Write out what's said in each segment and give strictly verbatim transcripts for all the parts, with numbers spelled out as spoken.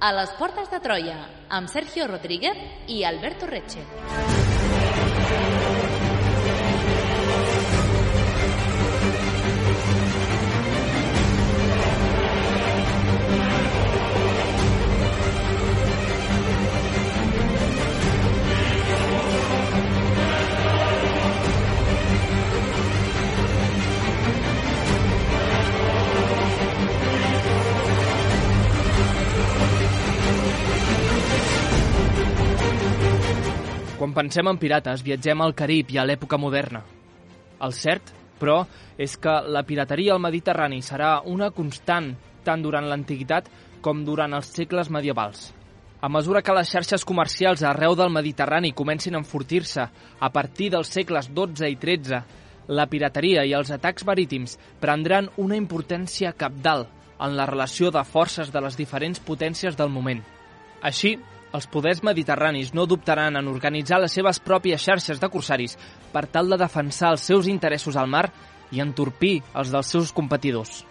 A les portes de Troia, amb Sergio Rodríguez i Alberto Reche. Quan pensem en pirates, viatgem al Carib i a l'època moderna. El cert, però, és que la pirateria al Mediterrani serà una constant tant durant l'antiguitat com durant els segles medievals. A mesura que les xarxes comercials arreu del Mediterrani comencin a enfortir-se a partir dels segles dotze i tretze, la pirateria i els atacs marítims prendran una importància cabdal en la relació de forces de les diferents potències del moment. Així, els poders mediterranis no dubtaran en organitzar les seves pròpies xarxes de corsaris per tal de defensar els seus interessos al mar i entorpir els dels seus competidors.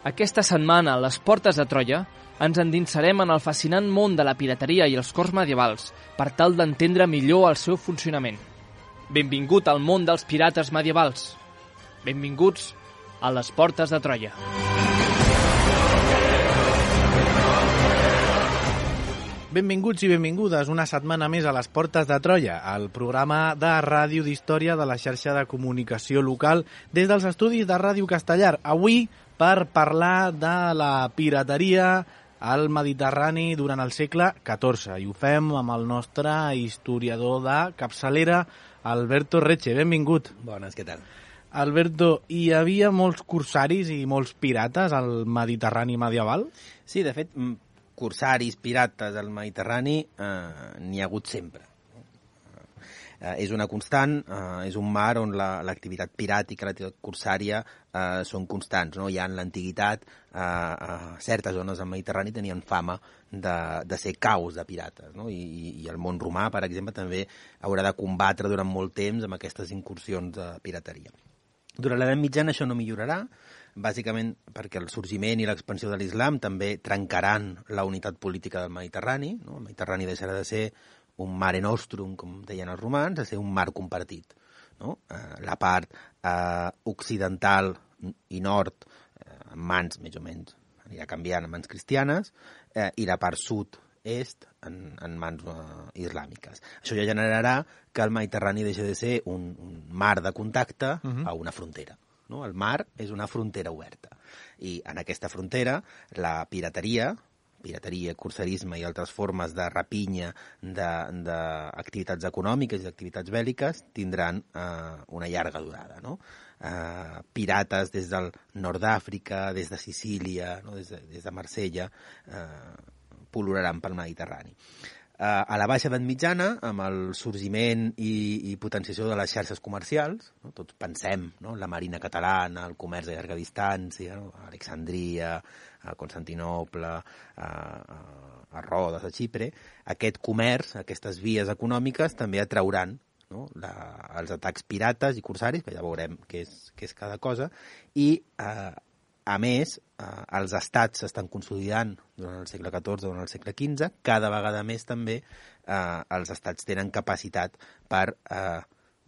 Aquesta setmana, a les portes de Troia, ens endinsarem en el fascinant món de la pirateria i els cors medievals per tal d'entendre millor el seu funcionament. Benvingut al món dels pirates medievals. Benvinguts a les portes de Troia. Benvinguts i benvingudes una setmana més a les Portes de Troia, el programa de ràdio d'història de la xarxa de comunicació local des dels estudis de Ràdio Castellar. Avui per parlar de la pirateria al Mediterrani durant el segle catorze. I ho fem amb el nostre historiador de capçalera, Alberto Reche. Benvingut. Bones, què tal? Alberto, hi havia molts corsaris i molts pirates al Mediterrani medieval? Sí, de fet, corsaris, pirates al Mediterrani eh, n'hi ha hagut sempre. Eh, és una constant, eh, és un mar on l'activitat la, piràtica, l'activitat corsària eh, són constants. No? Ja en l'antiguitat, eh, eh, certes zones del Mediterrani tenien fama de, de ser caus de pirates. No? I, I el món romà, per exemple, també haurà de combatre durant molt temps amb aquestes incursions de pirateria. Durant l'edat mitjana això no millorarà, bàsicament perquè el sorgiment i l'expansió de l'islam també trencaran la unitat política del Mediterrani. No? El Mediterrani deixarà de ser un mare nostrum, com deien els romans, a ser un mar compartit. No? Eh, la part eh, occidental i nord, eh, en mans més o menys, anirà canviant en mans cristianes, eh, i la part sud-est en, en mans eh, islàmiques. Això ja generarà que el Mediterrani deixi de ser un, un mar de contacte uh-huh. a una frontera. No? El mar és una frontera oberta i en aquesta frontera la pirateria, pirateria, corsarisme i altres formes de rapinya d'activitats econòmiques i d'activitats bèl·liques tindran eh, una llarga durada. No? Eh, pirates des del nord d'Àfrica, des de Sicília, no? des, de, des de Marsella, eh, pol·luraran pel Mediterrani. A la baixa edat mitjana, amb el sorgiment i, i potenciació de les xarxes comercials, no? Tots pensem, no? La marina catalana, el comerç de llarga distància, no? A Alexandria, a Constantinople, a, a Rodes, a Xipre, aquest comerç, aquestes vies econòmiques també atrauran, no? La, els atacs pirates i corsaris, que ja veurem què és, què és cada cosa, i eh, a més, eh, els estats s'estan consolidant durant el segle catorze, durant el segle quinze, cada vegada més també eh, els estats tenen capacitat per eh,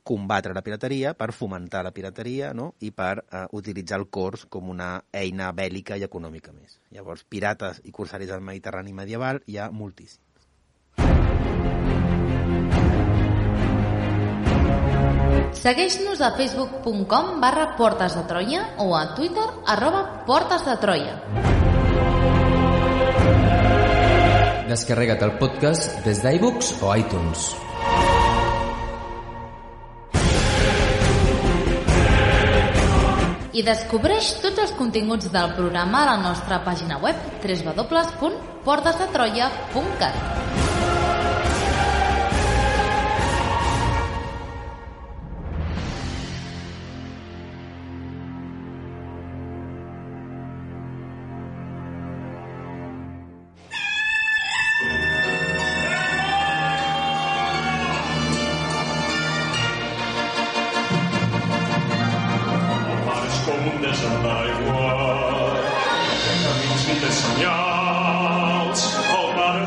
combatre la pirateria, per fomentar la pirateria, no? I per eh, utilitzar el cors com una eina bèl·lica i econòmica més. Llavors, pirates i corsaris al Mediterrani medieval hi ha moltíssims. Segueix-nos a facebook punt com barra Portes de Troia o a Twitter arroba Portes de Troia. Descarrega't el podcast des d'iVoox o iTunes. I descobreix tots els continguts del programa a la nostra pàgina web w w w punt portes de troia punt cat. Camins vides senyals, el mar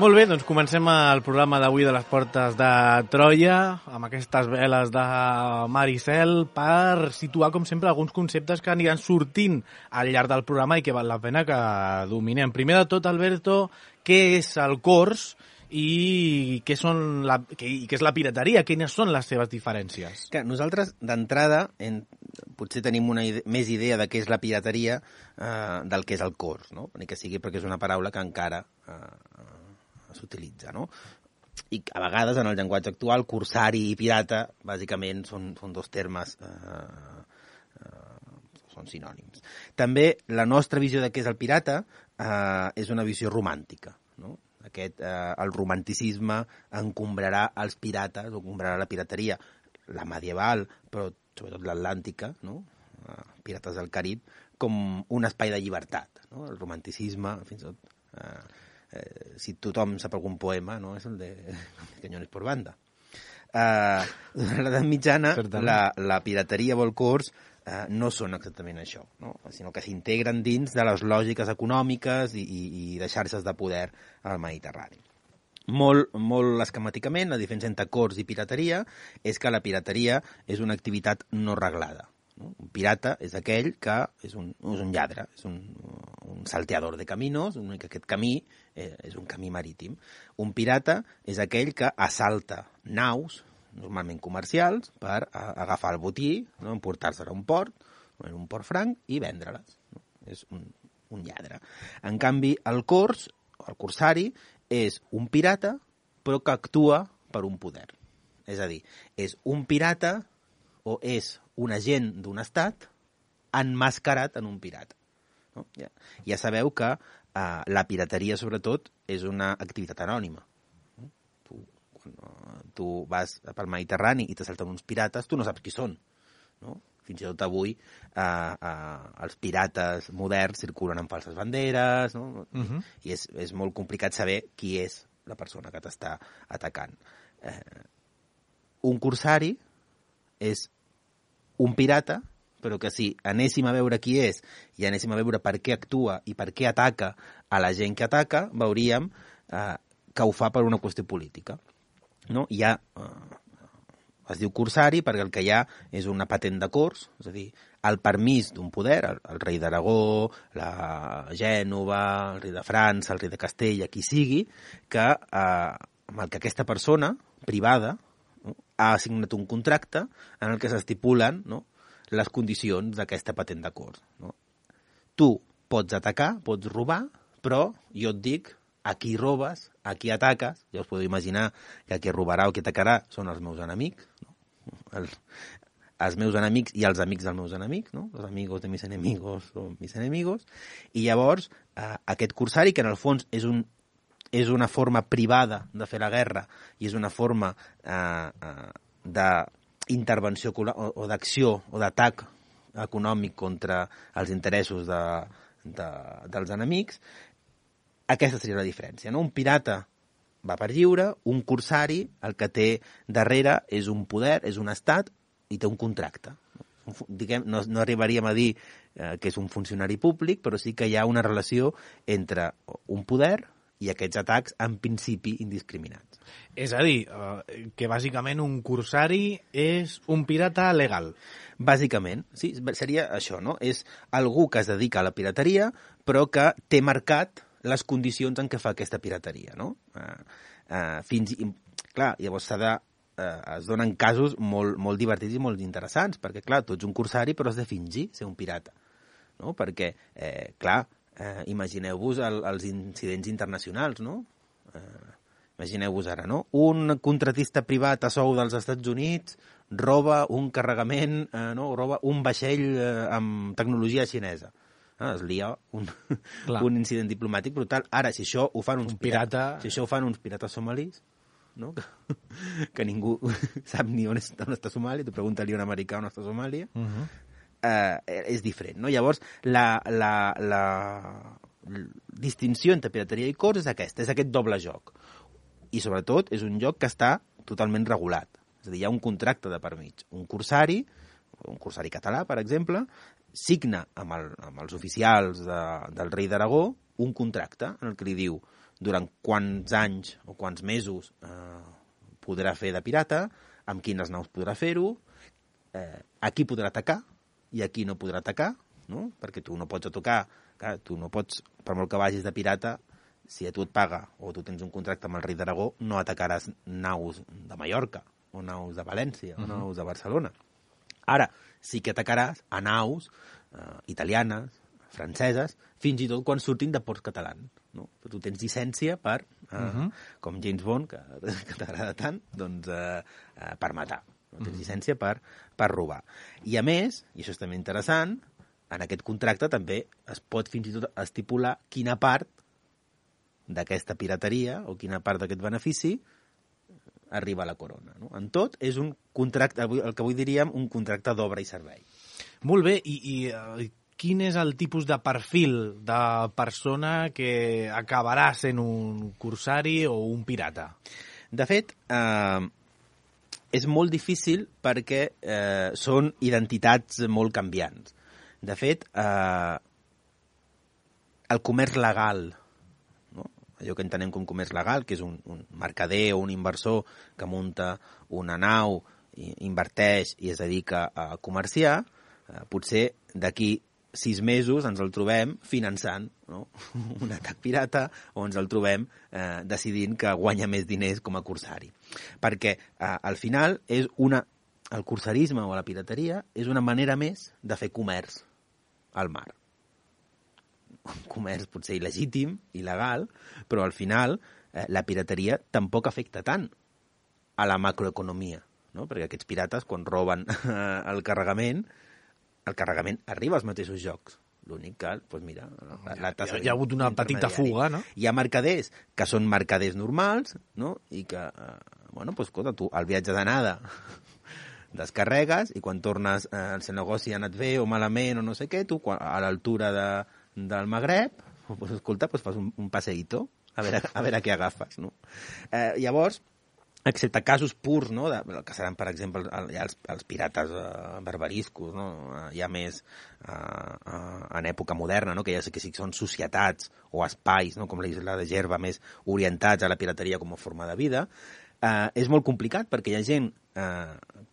Molt bé, doncs comencem el programa d'avui de les Portes de Troia amb aquestes veles de mar i cel per situar, com sempre, alguns conceptes que aniran sortint al llarg del programa i que val la pena que dominem. Primer de tot, Alberto, què és el cors i què, són la, què, i què és la pirateria? Quines són les seves diferències? Que nosaltres, d'entrada, en, potser tenim una ide més idea de què és la pirateria eh, del que és el cors, no? Ni que sigui perquè és una paraula que encara eh, s'utilitza, no? I a vegades, en el llenguatge actual, corsari i pirata, bàsicament, són, són dos termes, eh, eh, són sinònims. També la nostra visió de què és el pirata eh, és una visió romàntica, no? Aquest, eh, el romanticisme encombrarà els pirates, o encombrarà la pirateria, la medieval, però sobretot l'Atlàntica, no? Eh, Pirates del Carib, com un espai de llibertat, no? El romanticisme, fins i tot... Eh, Eh, si tothom sap algun poema, no? És el de Cañones por banda. Eh, durant l'edat mitjana, la, la pirateria o el cors eh, no són exactament això, no? Sinó que s'integren dins de les lògiques econòmiques i, i, i de xarxes de poder al Mediterrani. Molt, molt esquemàticament, la diferència entre cors i pirateria és que la pirateria és una activitat no reglada. No? Un pirata és aquell que és un, és un lladre, és un, un salteador de caminos, que aquest camí eh, és un camí marítim. Un pirata és aquell que assalta naus, normalment comercials, per a, agafar el botí, no? Emportar-se-la a un port, en un port franc, i vendre-les. No? És un, un lladre. En canvi, el cors, el corsari, és un pirata, però que actua per un poder. És a dir, és un pirata o és un agent d'un estat emmascarat en un pirata. No? Ja, ja sabeu que eh, la pirateria, sobretot, és una activitat anònima. No? Tu, quan uh, tu vas pel Mediterrani i t'assalten uns pirates, tu no saps qui són. No? Fins i tot avui eh, eh, els pirates moderns circulen amb falses banderes, no? Uh-huh. I és, és molt complicat saber qui és la persona que t'està atacant. Eh, un corsari és un pirata, però que si anéssim a veure qui és i anéssim a veure per què actua i per què ataca a la gent que ataca, veuríem eh, que ho fa per una qüestió política. No? Hi ha, eh, es diu corsari perquè el que hi ha és una patent de cors, és a dir, el permís d'un poder, el, el rei d'Aragó, la Gènova, el rei de França, el rei de Castella, qui sigui, que eh, amb el que aquesta persona privada ha assignat un contracte en el que s'estipulen, no, les condicions d'aquesta patent de cors. No? Tu pots atacar, pots robar, però jo et dic a qui robes, a qui ataques. Ja us podeu imaginar que qui robarà o qui atacarà són els meus enemics, no? el, els meus enemics i els amics dels meus enemics, no? Los amigos de mis enemigos o mis enemigos. I llavors, eh, aquest corsari, que en el fons és un és una forma privada de fer la guerra i és una forma eh, eh, d'intervenció o, o d'acció o d'atac econòmic contra els interessos de, de, dels enemics, aquesta seria la diferència. No? Un pirata va per lliure, un corsari el que té darrere és un poder, és un estat i té un contracte. Diguem, no, no arribaríem a dir eh, que és un funcionari públic, però sí que hi ha una relació entre un poder i aquests atacs, en principi, indiscriminats. És a dir, eh, que bàsicament un corsari és un pirata legal. Bàsicament, sí, seria això, no? És algú que es dedica a la pirateria, però que té marcat les condicions en què fa aquesta pirateria, no? Eh, eh, fins i... Clar, llavors s'ha de... Eh, es donen casos molt, molt divertits i molt interessants, perquè, clar, tu ets un corsari, però has de fingir ser un pirata, no? Perquè, eh, clar, Eh, imagineu-vos el, els incidents internacionals, no? Eh, imagineu-vos ara, no? Un contratista privat a sou dels Estats Units roba un carregament, eh, no? roba un vaixell eh, amb tecnologia xinesa. Ah, es lia un, un incident diplomàtic brutal. Ara, si això ho fan uns un pirata... si això ho fan uns pirates somalis, no? que, que ningú sap ni on, és, on està Somàlia, tu pregunta-li a un americà on està Somàlia, uh -huh. eh, és diferent. No? Llavors, la, la, la, la distinció entre pirateria i cors és aquesta, és aquest doble joc. I, sobretot, és un joc que està totalment regulat. És a dir, hi ha un contracte de per mig. Un corsari, un corsari català, per exemple, signa amb, el, amb els oficials de, del rei d'Aragó un contracte en el que li diu durant quants anys o quants mesos eh, podrà fer de pirata, amb quines naus podrà fer-ho, eh, a qui podrà atacar i a qui no podrà atacar, no? Perquè tu no pots atacar, clar, tu no pots, per molt que vagis de pirata, si a tu et paga o tu tens un contracte amb el rei d'Aragó, no atacaràs naus de Mallorca o naus de València o uh-huh. naus de Barcelona. Ara, sí que atacaràs a naus eh, italianes, franceses, fins i tot quan surtin de ports catalans. No? Tu tens llicència per, eh, uh-huh. com James Bond, que, que t'agrada tant, doncs, eh, eh, per matar. No? Tens uh-huh. llicència per, per robar. I a més, i això és també interessant, en aquest contracte també es pot fins i tot estipular quina part d'aquesta pirateria o quina part d'aquest benefici arriba a la corona. No? En tot, és un contracte, el que avui diríem un contracte d'obra i servei. Molt bé, i, i uh, quin és el tipus de perfil de persona que acabarà sent un corsari o un pirata? De fet, eh, és molt difícil perquè eh, són identitats molt canviants. De fet, eh, el comerç legal, allò que entenem com comerç legal, que és un, un mercader o un inversor que munta una nau, i inverteix i es dedica a comerciar, eh, potser d'aquí sis mesos ens el trobem finançant, no? un atac pirata, o ens el trobem eh, decidint que guanya més diners com a corsari. Perquè eh, al final és una, el corsarisme o la pirateria és una manera més de fer comerç al mar. Un comerç potser il·legítim, il·legal, però al final eh, la pirateria tampoc afecta tant a la macroeconomia, no? Perquè aquests pirates, quan roben eh, el carregament, el carregament arriba als mateixos jocs. L'únic que, doncs mira... La, la tassa hi ha hagut una petita fuga, no? Hi ha mercaders que són mercaders normals, no? I que, eh, bueno, doncs escolta, tu al viatge d'anada descarregues i quan tornes, eh, el seu negoci ha anat bé o malament o no sé què, tu a l'altura de del Magreb, pues, escolta, pues fas un, un passeïto, a veure, a veure què agafes, no? Eh, llavors, excepte casos purs, no?, de, que seran, per exemple, el, ja els, els pirates eh, barbariscos, no?, ja més eh, eh, en època moderna, no?, que ja sé que sí que són societats o espais, no?, com la isla de Gerba, més orientats a la pirateria com a forma de vida, eh, és molt complicat perquè hi ha gent, eh,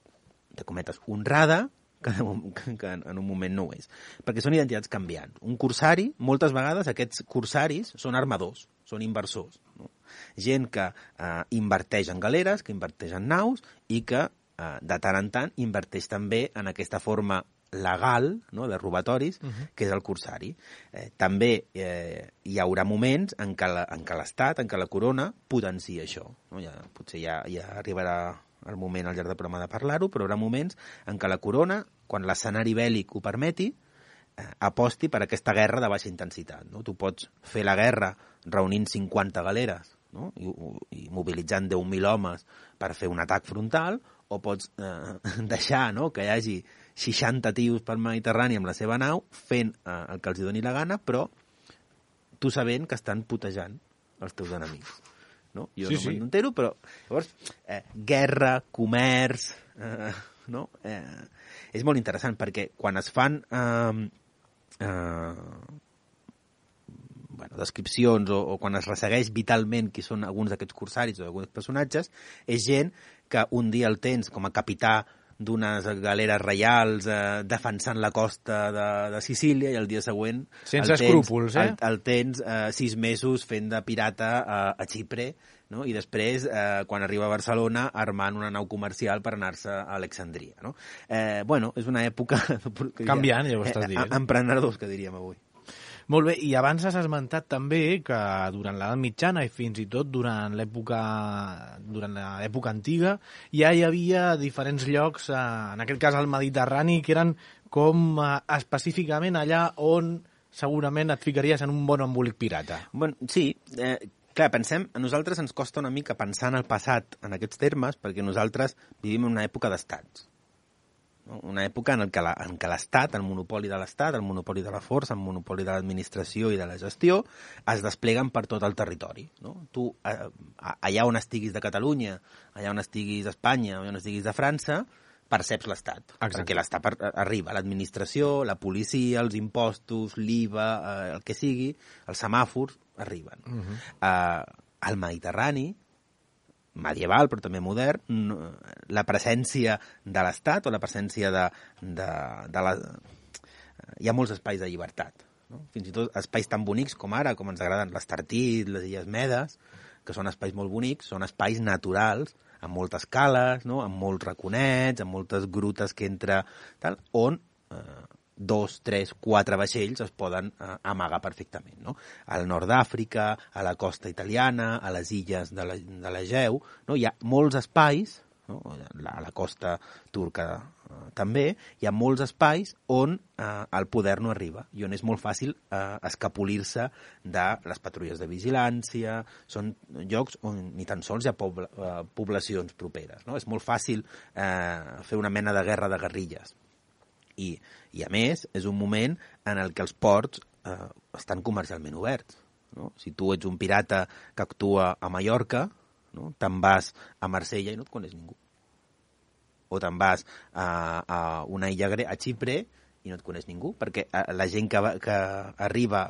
de cometes, honrada, que, que en un moment no ho és. Perquè són identitats canviants. Un corsari, moltes vegades aquests corsaris són armadors, són inversors. No? Gent que eh, inverteix en galeres, que inverteix en naus i que eh, de tant en tant inverteix també en aquesta forma legal, no?, de robatoris, uh-huh. que és el corsari. Eh, també eh, hi haurà moments en què, la, en què l'Estat, en què la corona potencia això. No? Ja, potser ja, ja arribarà el moment al llarg del programa de parlar-ho, però hi haurà moments en què la corona, quan l'escenari bèl·lic ho permeti, eh, aposti per aquesta guerra de baixa intensitat. No? Tu pots fer la guerra reunint cinquanta galeres, no?, i, i mobilitzant deu mil homes per fer un atac frontal, o pots eh, deixar, no?, que hi hagi seixanta tios pel Mediterrani amb la seva nau fent eh, el que els doni la gana, però tu sabent que estan putejant els teus enemics. No? Jo sí, no me'n entero, però llavors, eh, guerra, comerç, eh, no? eh, és molt interessant perquè quan es fan eh, eh, bueno, descripcions o, o quan es ressegueix vitalment qui són alguns d'aquests corsaris o alguns personatges, és gent que un dia el tens com a capità d'unes galeres reials eh, defensant la costa de, de Sicília i el dia següent sense escrúpols, eh? el, el tens eh, sis mesos fent de pirata a, a Xipre, no? I després, eh, quan arriba a Barcelona, armant una nau comercial per anar-se a Alexandria. No? Eh, bueno, és una època... Canviant, ja ho estàs dient. Eh, emprenedors, que diríem avui. Molt bé, i abans has esmentat també que durant l'edat mitjana i fins i tot durant l'època durant l'època antiga ja hi havia diferents llocs, eh, en aquest cas al Mediterrani, que eren com eh, específicament allà on segurament et ficaries en un bon embolic pirata. Bueno, sí, eh, clar, pensem, a nosaltres ens costa una mica pensar en el passat en aquests termes perquè nosaltres vivim en una època d'estats. Una època en què la, en què l'Estat, el monopoli de l'Estat, el monopoli de la força, el monopoli de l'administració i de la gestió es despleguen per tot el territori. No? Tu, eh, allà on estiguis de Catalunya, allà on estiguis d'Espanya, allà on estiguis de França, perceps l'Estat. Exacte. Perquè l'Estat arriba, l'administració, la policia, els impostos, l'I V A, eh, el que sigui, els semàfors, arriben. Uh-huh. eh, al Mediterrani, medieval, però també modern, la presència de l'Estat o la presència de, de, de la... Hi ha molts espais de llibertat, no? Fins i tot espais tan bonics com ara, com ens agraden l'Estartit, les Illes Medes, que són espais molt bonics, són espais naturals, amb moltes cales, no? Amb molts raconets, amb moltes grutes que entra, tal, on eh, dos, tres, quatre vaixells es poden eh, amagar perfectament, no? Al nord d'Àfrica, a la costa italiana, a les illes de l'Egeu, no? Hi ha molts espais, no? A la costa turca eh, també, hi ha molts espais on eh, el poder no arriba i on és molt fàcil eh, escapolir-se de les patrulles de vigilància, són llocs on ni tan sols hi ha pobla, eh, poblacions properes, no? És molt fàcil eh, fer una mena de guerra de guerrilles. I, I, a més, és un moment en el què els ports eh, estan comercialment oberts. No? Si tu ets un pirata que actua a Mallorca, no? Te'n vas a Marsella i no et coneix ningú. O te'n vas a, a una illa grega, a Xipre, i no et coneix ningú, perquè la gent que, va, que arriba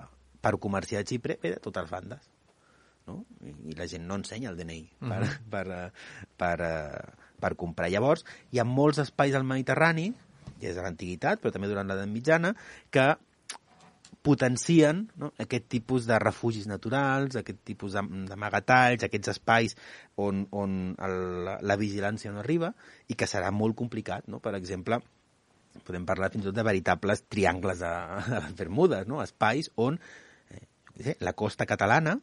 per comerciar a Xipre ve de totes bandes. No? I, I la gent no ensenya el D N I per, uh-huh. per, per, per, per comprar. Llavors, hi ha molts espais al Mediterrani, des de l'antiguitat, però també durant l'edat mitjana, que potencien, no? Aquest tipus de refugis naturals, aquest tipus d'amagatalls, aquests espais on, on el, la vigilància no arriba i que serà molt complicat. No? Per exemple, podem parlar fins i tot de veritables triangles de, de les Bermudes, no? Espais on eh, sé, la costa catalana,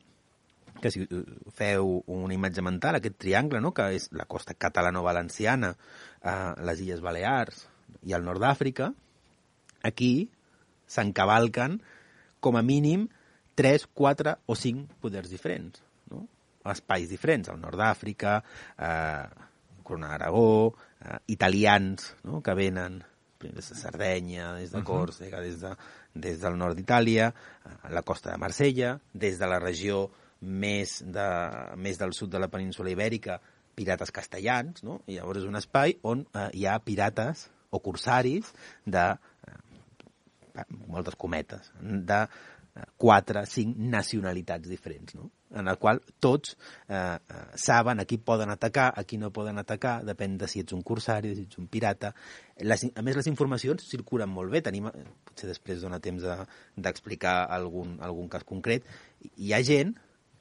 que si feu una imatge mental, aquest triangle, no? Que és la costa catalano-valenciana, eh, les Illes Balears i el nord d'Àfrica, aquí s'encavalquen com a mínim tres, quatre o cinc poders diferents, no? Espais diferents, al nord d'Àfrica, eh, Corona d'Aragó, eh, italians, no? Que venen des de Sardenya, des de Còrsega, des, de, des del nord d'Itàlia, a la costa de Marsella, des de la regió més, de, més del sud de la península Ibèrica, pirates castellans, no? I llavors és un espai on eh, hi ha pirates o corsaris de, eh, moltes cometes, de quatre, cinc nacionalitats diferents, no? En el qual tots eh, eh, saben a qui poden atacar, a qui no poden atacar, depèn de si ets un corsari, si ets un pirata. Les, a més, les informacions circulen molt bé, tenim, potser després dona temps d'explicar de, algun, algun cas concret. Hi ha gent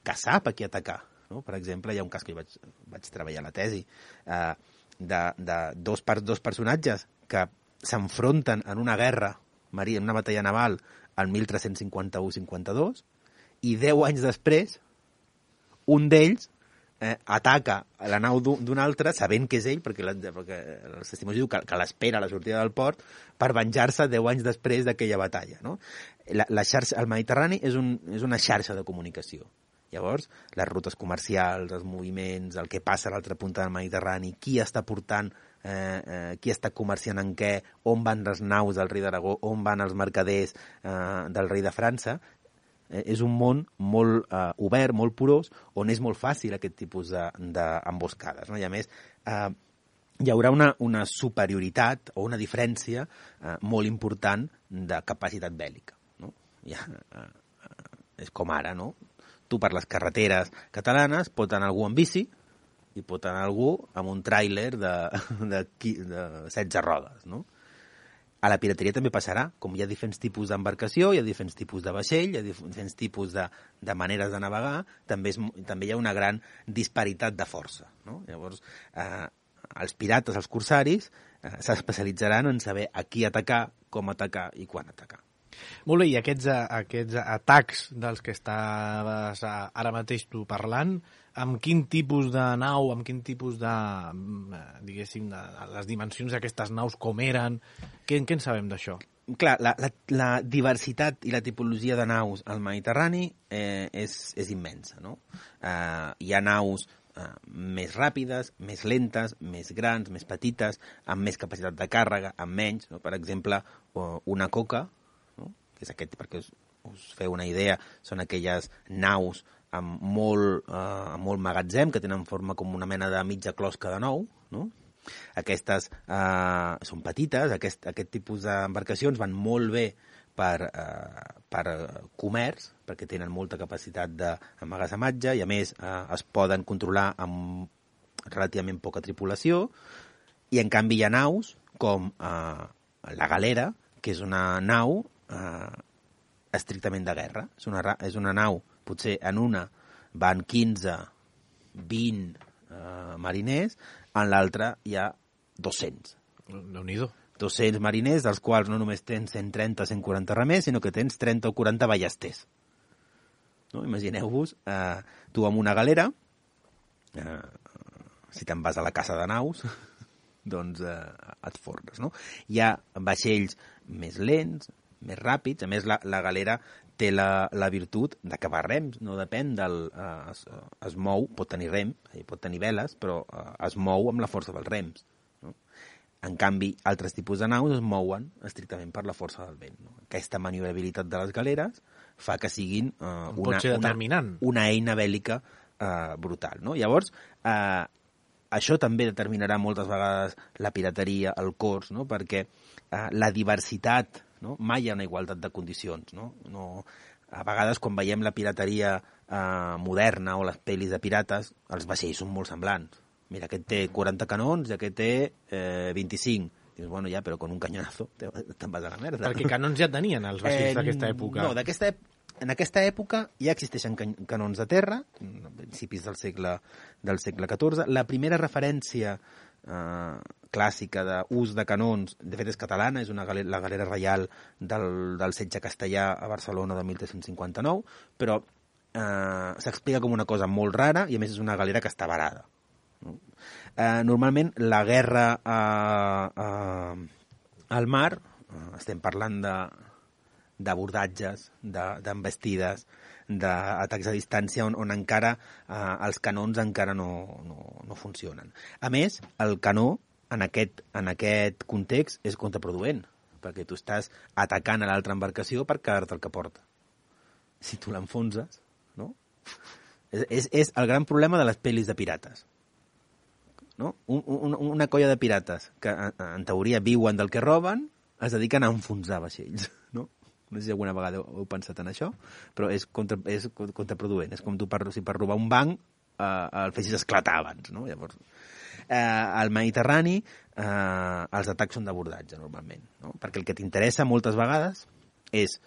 que sap a qui atacar, no? Per exemple, hi ha un cas que vaig, vaig treballar a la tesi, eh, de, de dos, per, dos personatges que s'enfronten en una guerra, en una batalla naval, el mil tres-cents cinquanta-u cinquanta-dos, i deu anys després, un d'ells eh, ataca la nau d'un altre, sabent que és ell, perquè, la, perquè els testimonis diuen que, que l'espera a la sortida del port, per venjar-se deu anys després d'aquella batalla. No? La, la xarxa, el Mediterrani és, un, és una xarxa de comunicació. Llavors, les rutes comercials, els moviments, el que passa a l'altra punta del Mediterrani, qui està portant, eh, eh, qui està comerciant en què, on van les naus del rei d'Aragó, on van els mercaders eh, del rei de França, eh, és un món molt eh, obert, molt porós, on és molt fàcil aquest tipus d'emboscades. De, no? I a més, eh, hi haurà una, una superioritat o una diferència eh, molt important de capacitat bèl·lica. No? Ja, eh, és com ara, no? Tu per les carreteres catalanes pot anar algú amb bici i pot anar algú amb un tràiler de, de, de setze rodes, no? A la pirateria també passarà, com hi ha diferents tipus d'embarcació, hi ha diferents tipus de vaixell, hi ha diferents tipus de, de maneres de navegar, també, és, també hi ha una gran disparitat de força, no? Llavors, eh, els pirates, els corsaris, eh, s'especialitzaran en saber a qui atacar, com atacar i quan atacar. Molt bé, i aquests, aquests atacs dels que estaves ara mateix tu parlant, amb quin tipus de nau, amb quin tipus de, diguéssim, de les dimensions d'aquestes naus, com eren, què, què en sabem d'això? Clar, la, la, la diversitat i la tipologia de naus al Mediterrani eh, és, és immensa, no? Eh, hi ha naus eh, més ràpides, més lentes, més grans, més petites, amb més capacitat de càrrega, amb menys, no? Per exemple, una coca, no? Que és aquest, perquè us, us feu una idea, són aquelles naus amb molt, eh, amb molt magatzem, que tenen forma com una mena de mitja closca de nou, no? Aquestes eh, són petites, aquest, aquest tipus d'embarcacions van molt bé per, eh, per comerç, perquè tenen molta capacitat d'emmagatzematge i a més eh, es poden controlar amb relativament poca tripulació, i en canvi hi ha naus com eh, la galera, que és una nau eh, estrictament de guerra. És una, és una nau, potser en una van quinze, vint eh, mariners, en l'altra hi ha dos-cents. Déu-n'hi-do. dos-cents mariners, dels quals no només tens cent trenta, cent quaranta remers, sinó que tens trenta o quaranta ballesters. No? Imagineu-vos, eh, tu amb una galera, eh, si te'n vas a la casa de naus, doncs eh, et forres, no? Hi ha vaixells més lents, més ràpids, a més la, la galera té la, la virtut de que va a rems, no depèn del... Eh, es, es mou, pot tenir rem, pot tenir veles, però eh, es mou amb la força dels rems. No? En canvi, altres tipus de naus es mouen estrictament per la força del vent. No? Aquesta maniobrabilitat de les galeres fa que siguin eh, una, una, una eina bèl·lica eh, brutal. No? Llavors, eh, això també determinarà moltes vegades la pirateria, el cors, no? Perquè eh, la diversitat... No? Mai hi ha una igualtat de condicions. No? No, a vegades, quan veiem la pirateria eh, moderna o les pel·lis de pirates, els vaixells són molt semblants. Mira, aquest té quaranta canons i aquest té eh, vint-i-cinc. Dius, bueno, ja, però con un cañonazo te'n vas a la merda. Perquè canons ja tenien els vaixells eh, d'aquesta època. No, d'aquesta època... En aquesta època ja existeixen can canons de terra, a principis del segle, del segle catorze. La primera referència eh, clàssica d'ús de canons, de fet és catalana, és una galera, la galera reial del, del setge castellà a Barcelona de mil tres-cents cinquanta-nou, però eh, s'explica com una cosa molt rara i a més és una galera que està varada. No? Eh, normalment la guerra eh, eh, al mar, eh, estem parlant de d'abordatges, d'envestides, d'atacs a distància on, on encara eh, els canons encara no, no, no funcionen. A més, el canó en aquest, en aquest context és contraproduent, perquè tu estàs atacant a l'altra embarcació per quedar-te el que porta. Si tu l'enfonses, no? És, és, és el gran problema de les pel·lis de pirates. No? Un, un, una colla de pirates que en teoria viuen del que roben, es dediquen a enfonsar vaixells, no? No sé si alguna vegada heu pensat en això, però és, contra, és contraproduent. És com tu, per, si per robar un banc eh, el fessis esclatar abans, no? Llavors, eh, al Mediterrani eh, els atacs són d'abordatge, normalment, no? Perquè el que t'interessa moltes vegades és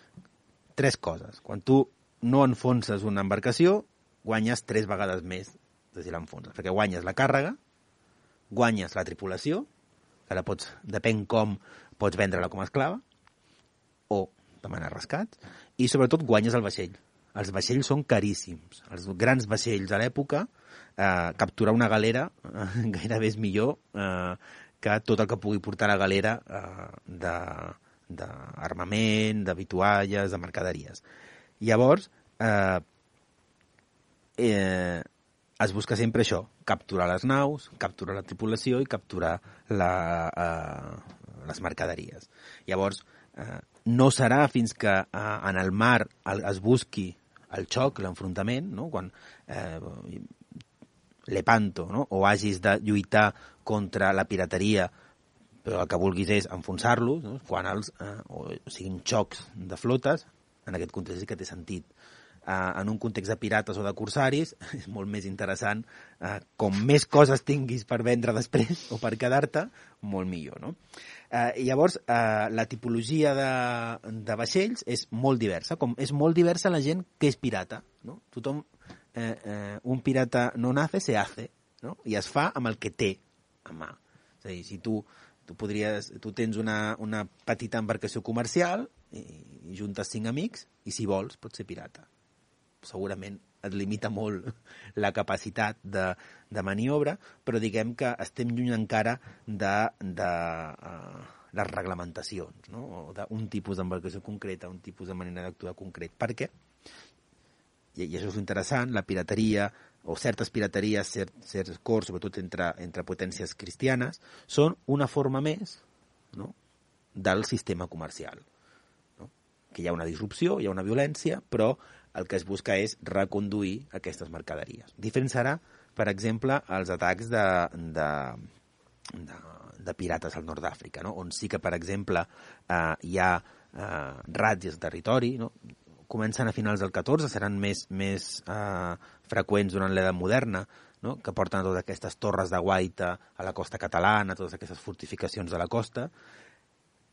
tres coses. Quan tu no enfonses una embarcació, guanyes tres vegades més de si l'enfonses, perquè guanyes la càrrega, guanyes la tripulació, que la pots, depèn com, pots vendre-la com a esclava, o demanar rescats, i sobretot guanyes el vaixell. Els vaixells són caríssims. Els grans vaixells a l'època, eh, capturar una galera eh, gairebé és millor eh, que tot el que pugui portar la galera eh, d'armament, de, de vitualles, de mercaderies. Llavors, eh, eh, es busca sempre això, capturar les naus, capturar la tripulació i capturar la, eh, les mercaderies. Llavors, eh, no serà fins que eh, en el mar el, es busqui el xoc, l'enfrontament, no? Quan eh, Lepanto, no? O hagis de lluitar contra la pirateria, però el que vulguis és enfonsar-los, no? Quan els, eh, o siguin xocs de flotes, en aquest context sí que té sentit. Eh, en un context de pirates o de corsaris és molt més interessant, eh, com més coses tinguis per vendre després o per quedar-te, molt millor, no? Eh, llavors, eh, la tipologia de, de vaixells és molt diversa, com és molt diversa la gent que és pirata, no? Tothom, eh, eh, un pirata no nace, se hace, no? I es fa amb el que té a mà. És a dir, si tu, tu, podries, tu tens una, una petita embarcació comercial i, i juntes cinc amics i, si vols, pots ser pirata. Segurament et limita molt la capacitat de, de maniobra, però diguem que estem lluny encara de, de uh, les reglamentacions, no? O d'un tipus d'embarcació concreta, un tipus de manera d'actuar concret. Per què? I, i això és interessant, la pirateria, o certes pirateries, cert, certs acords, sobretot entre, entre potències cristianes, són una forma més, no?, del sistema comercial. No? Que hi ha una disrupció, hi ha una violència, però el que es busca és reconduir aquestes mercaderies. Diferent serà, per exemple, els atacs de, de, de, de pirates al nord d'Àfrica, no? On sí que, per exemple, eh, hi ha eh, ràtzies de territori, no? Comencen a finals del catorze, seran més, més eh, freqüents durant l'edat moderna, no? Que porten a totes aquestes torres de guaita a la costa catalana, totes aquestes fortificacions de la costa,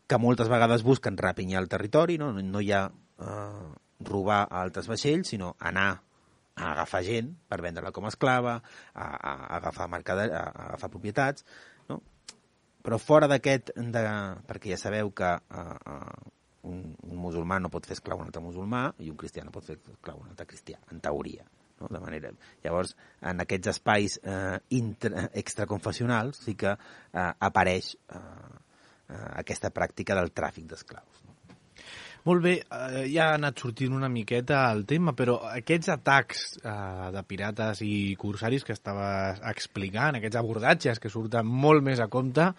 que moltes vegades busquen rapinyar el territori, no, no hi ha eh, robar a altres vaixells, sinó anar a agafar gent per vendre-la com a esclava, a, a, a, agafar, mercader, a, a agafar propietats, no? Però fora d'aquest, de, perquè ja sabeu que eh, un, un musulmà no pot fer esclau un altre musulmà i un cristià no pot fer esclau un altre cristià, en teoria. No? De manera... Llavors, en aquests espais eh, intra, extraconfessionals sí que eh, apareix eh, eh, aquesta pràctica del tràfic d'esclaus. No? Molt bé, eh, ja ha anat sortint una miqueta el tema, però aquests atacs eh, de pirates i corsaris que estaves explicant, aquests abordatges que surten molt més a compte,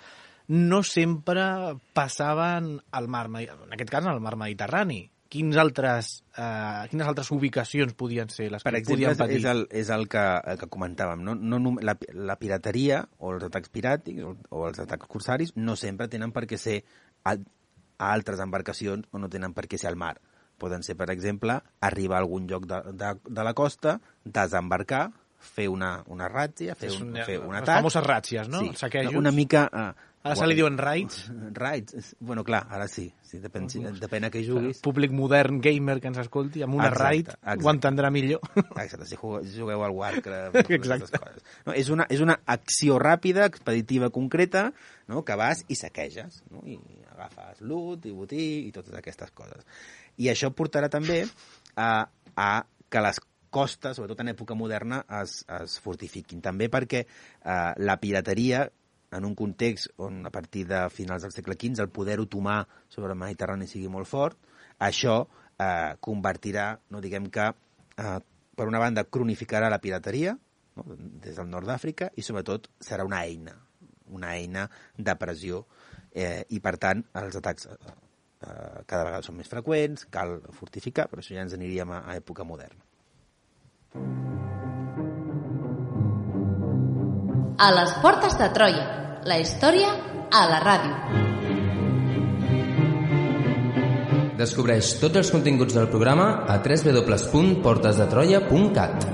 no sempre passaven al mar, en aquest cas al mar Mediterrani. Quins altres, eh, quines altres ubicacions podien ser les per que exemple, podien patir? És el, és el, que, el que comentàvem. No? No, la, la pirateria o els atacs piràtics o, o els atacs corsaris no sempre tenen per què ser a, a altres embarcacions o no tenen per què ser al mar. Poden ser, per exemple, arribar a algun lloc de, de, de la costa, desembarcar, fer una, una ràtzia, fer un, un, fer un les atac. Les famoses ràtzies, no? Sí, saquejos. Una mica... Uh, Ara se li diuen raids. Raids, bueno, clar, ara sí. sí depèn, depèn a què juguis. El públic modern gamer que ens escolti, amb una exacte, raid exacte. Ho entendrà millor. Exacte, si jugueu, si jugueu al Warcraft. Exacte. Coses. No, és, una, és una acció ràpida, expeditiva, concreta, no? Que vas i saqueges, no? I agafes loot i botí i totes aquestes coses. I això portarà també a, a que les costes, sobretot en època moderna, es, es fortifiquin. També perquè eh, la pirateria, en un context on a partir de finals del segle quinze el poder otomà sobre el Mediterrani sigui molt fort, això eh, convertirà, no diguem que, eh, per una banda, cronificarà la pirateria, no? Des del nord d'Àfrica, i sobretot serà una eina, una eina de pressió, eh, i per tant els atacs eh, eh, cada vegada són més freqüents, cal fortificar, però això ja ens aniríem a, a època moderna. A les portes de Troia, la història a la ràdio. Descobreix tots els continguts del programa a w w w punt portes de troia punt cat.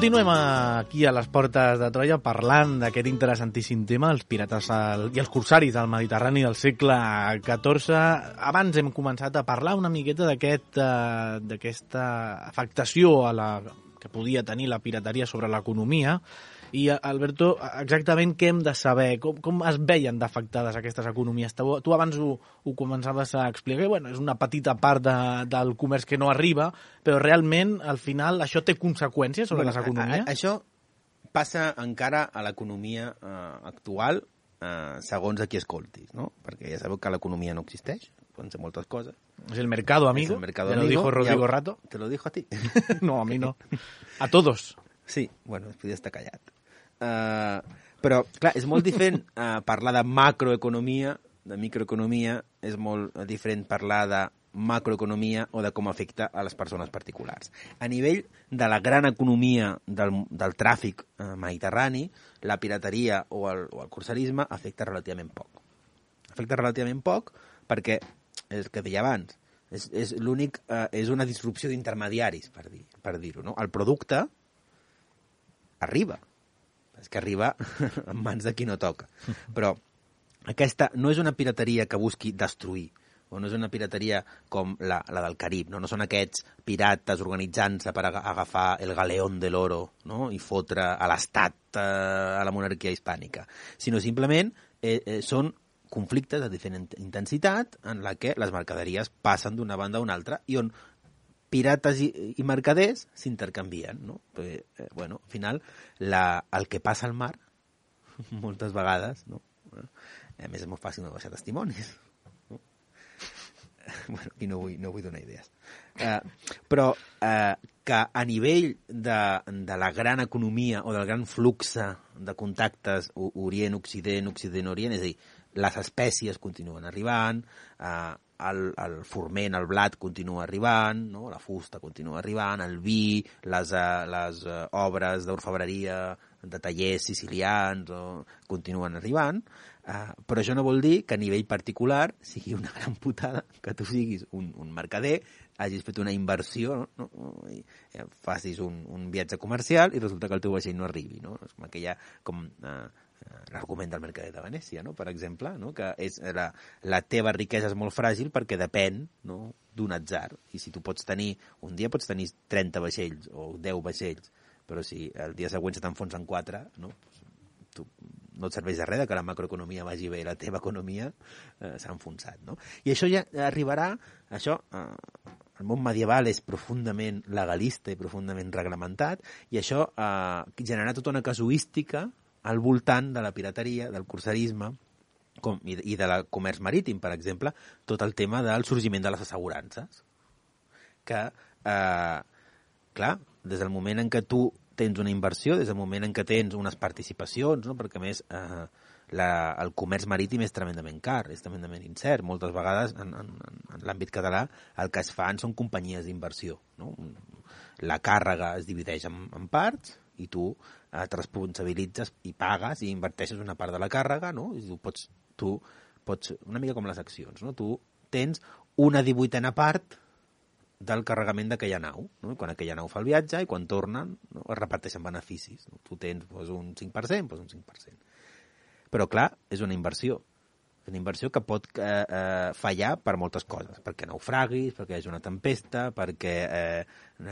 Continuem aquí a les portes de Troia parlant d'aquest interessantíssim tema, els pirates al, i els corsaris del Mediterrani del segle catorze. Abans hem començat a parlar una miqueta d'aquest, uh, d'aquesta afectació a la, que podia tenir la pirateria sobre l'economia, I, Alberto, exactament què hem de saber? Com, com es veien d'afectades aquestes economies? Tu, tu abans ho, ho començaves a explicar, bueno, és una petita part de, del comerç que no arriba, però realment, al final, això té conseqüències sobre bueno, les economies? A, a, això passa encara a l'economia eh, actual, eh, segons a qui escoltis, no? Perquè ja sabeu que l'economia no existeix, poden ser moltes coses. Es el mercado, amigo. Es el mercado, ¿Te lo amigo. dijo Rodrigo Ya, Rato? ¿Te lo dijo a ti? No, a mi no. A todos. Sí, bueno, podria estar callat. Uh, però, clar, és molt diferent uh, parlar de macroeconomia, de microeconomia, és molt diferent parlar de macroeconomia o de com afecta a les persones particulars. A nivell de la gran economia del, del tràfic uh, mediterrani, la pirateria o el, o el cursarisme afecta relativament poc. Afecta relativament poc perquè, és el que deia abans, és, és l'únic, uh, és una disrupció d'intermediaris, per dir, per dir-ho, no? El producte arriba. És que arriba en mans de qui no toca. Però aquesta no és una pirateria que busqui destruir, o no és una pirateria com la, la del Carib, no? No són aquests pirates organitzant-se per agafar el galeón de l'oro, no? I fotre a l'estat, a la monarquia hispànica, sinó simplement eh, eh, són conflictes de diferent intensitat en la que les mercaderies passen d'una banda a una altra i on pirates i, i mercaders s'intercanvien, no? Perquè, eh, bueno, al final, la, el que passa al mar, moltes vegades, no? A més, és molt fàcil no deixar testimonis. No? Bueno, i no vull, no vull donar idees. Eh, però eh, que a nivell de, de la gran economia o del gran flux de contactes Orient-Occident, Occident-Orient, és a dir, les espècies continuen arribant, eh, el, el forment, el blat continua arribant, no? La fusta continua arribant, el vi, les, uh, les uh, obres d'orfebreria de tallers sicilians o, continuen arribant, uh, però això no vol dir que a nivell particular sigui una gran putada que tu siguis un, un mercader, hagis fet una inversió, no? I eh, facis un, un viatge comercial i resulta que el teu vaixell no arribi, no? És com aquella, com... Uh, l'argument del mercader de Venècia, no? Per exemple, no? Que és la, la teva riquesa és molt fràgil perquè depèn, no? D'un atzar. I si tu pots tenir, un dia pots tenir trenta vaixells o deu vaixells, però si el dia següent se t'enfonsen quatre, no? Tu, no et serveix de res que la macroeconomia vagi bé, la teva economia eh, s'ha enfonsat, no? I això ja arribarà, això, eh, el món medieval és profundament legalista i profundament reglamentat, i això eh, generarà tota una casuística al voltant de la pirateria, del cursarisme com, i, i de la comerç marítim, per exemple, tot el tema del sorgiment de les assegurances. Que, eh, clar, des del moment en què tu tens una inversió, des del moment en què tens unes participacions, no? Perquè, a més, eh, la, el comerç marítim és tremendament car, és tremendament incert. Moltes vegades, en, en, en l'àmbit català, el que es fan són companyies d'inversió, no? La càrrega es divideix en, en parts, i tu eh, et responsabilitzes i pagues i inverteixes una part de la càrrega, no? I tu pots, tu pots, una mica com les accions, no? Tu tens una divuitena part del carregament d'aquella nau, no? I quan aquella nau fa el viatge i quan tornen, no? Es reparteixen beneficis, no? Tu tens doncs, un cinc per cent, doncs un cinc per cent. Però clar, és una inversió. És una inversió que pot eh, eh, fallar per moltes coses, perquè naufraguis, perquè hi hagi una tempesta, perquè eh,